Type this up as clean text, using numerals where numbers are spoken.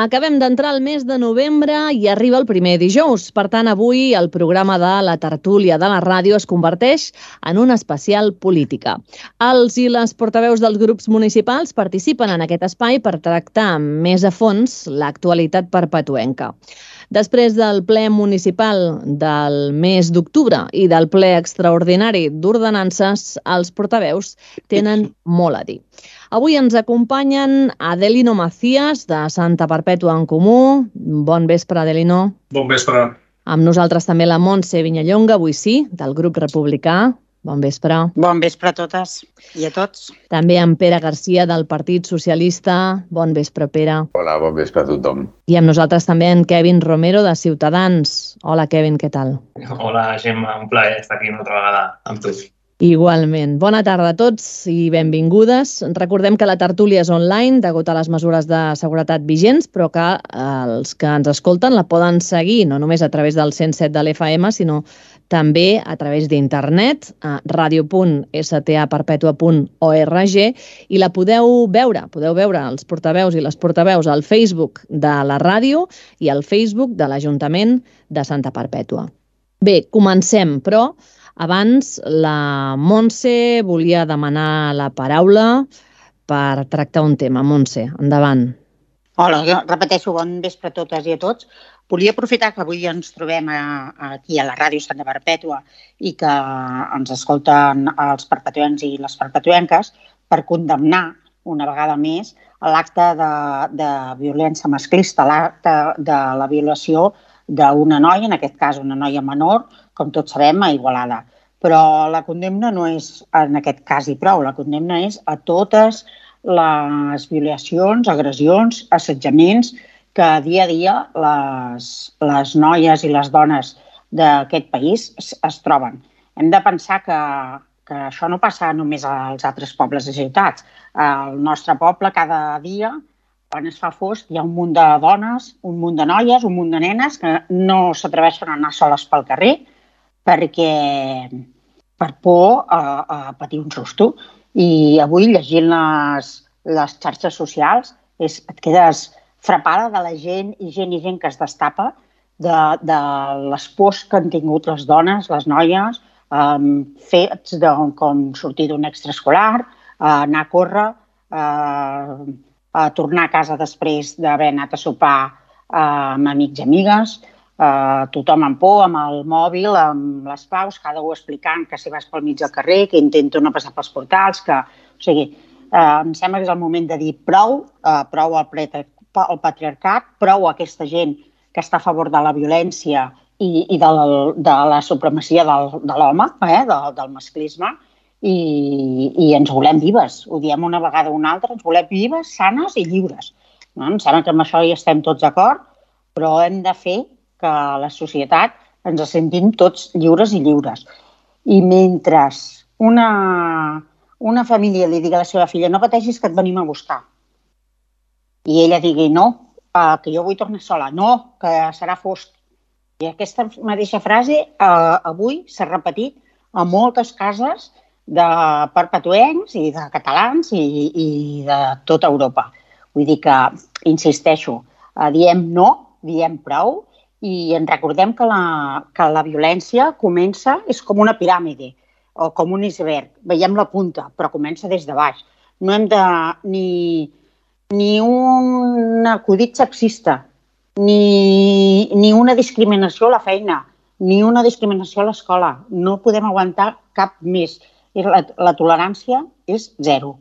Acabem d'entrar al mes de novembre i arriba el primer dijous. Per tant, avui el programa de la tertúlia de la ràdio es converteix en una especial política. Els i les portaveus dels grups municipals participen en aquest espai per tractar més a fons l'actualitat perpetuenca. Després del ple municipal del mes d'octubre i del ple extraordinari d'ordenances, els portaveus tenen molt a dir. Avui ens acompanyen Adelino Macías, de Santa Perpètua en Comú. Bon vespre, Adelino. Bon vespre. Amb nosaltres també la Montse Vinyallonga, avui sí, del grup republicà. Bon vespre. Bon vespre a totes i a tots. També en Pere Garcia, del Partit Socialista. Bon vespre, Pere. Hola, bon vespre a tothom. I amb nosaltres també en Kevin Romero, de Ciutadans. Hola, Kevin, què tal? Hola, Gemma, un plaer estar aquí una altra vegada amb tu. Igualment. Bona tarda a tots i benvingudes. Recordem que la tertúlia és online degut a les mesures de seguretat vigents, però que els que ens escolten la poden seguir no només a través del 107 de l'FM, sinó també a través d'internet, a radio.staperpetua.org, i la podeu veure els portaveus i les portaveus al Facebook de la ràdio i al Facebook de l'Ajuntament de Santa Perpètua. Bé, comencem, però abans la Montse volia demanar la paraula per tractar un tema. Montse, endavant. Hola, jo repeteixo, bon vespre a totes i a tots. Volia aprofitar que avui ens trobem aquí a la ràdio Santa Perpètua i que ens escolten els perpetuencs i les perpetuenques per condemnar una vegada més l'acte de violència masclista, l'acte de la violació d'una noia, en aquest cas una noia menor, com tots sabem, a Igualada. Però la condemna no és en aquest cas i prou, la condemna és a totes les violacions, agressions, assetjaments que dia a dia les noies i les dones d'aquest país es troben. Hem de pensar que això no passa només als altres pobles i ciutats. Al nostre poble, cada dia, quan es fa fosc, hi ha un munt de dones, un munt de noies, un munt de nenes que no s'atreveixen a anar soles pel carrer per por a patir un susto. I avui, llegint les xarxes socials, et quedes frapada de la gent i gent que es destapa de les pors que han tingut les dones, les noies, fets com sortir d'un extraescolar, anar a córrer, a tornar a casa després d'haver anat a sopar amb amics i amigues, tothom amb por, amb el mòbil, amb les paus, cada un explicant que si vas pel mig del carrer, que intento no passar pels portals, que... O sigui, em sembla que és el moment de dir prou al patriarcat, prou a aquesta gent que està a favor de la violència i de la supremacia de l'home, del masclisme, i ens volem vives. Ho diem una vegada o una altra, ens volem vives, sanes i lliures. Em sembla que amb això hi estem tots d'acord, però hem de fer que la societat ens sentim tots lliures i lliures. I mentre una família li digui a la seva filla no pateixis que et venim a buscar, i ella digui no, que jo vull tornar sola, no, que serà fosc. I aquesta mateixa frase avui s'ha repetit a moltes cases de perpetuencs i de catalans i de tota Europa. Vull dir que, insisteixo, diem no, diem prou, i ens recordem que la violència comença, és com una piràmide o com un iceberg. Veiem la punta, però comença des de baix. No hem de ni un acudit sexista, ni una discriminació a la feina, ni una discriminació a l'escola. No podem aguantar cap més. La tolerància és zero.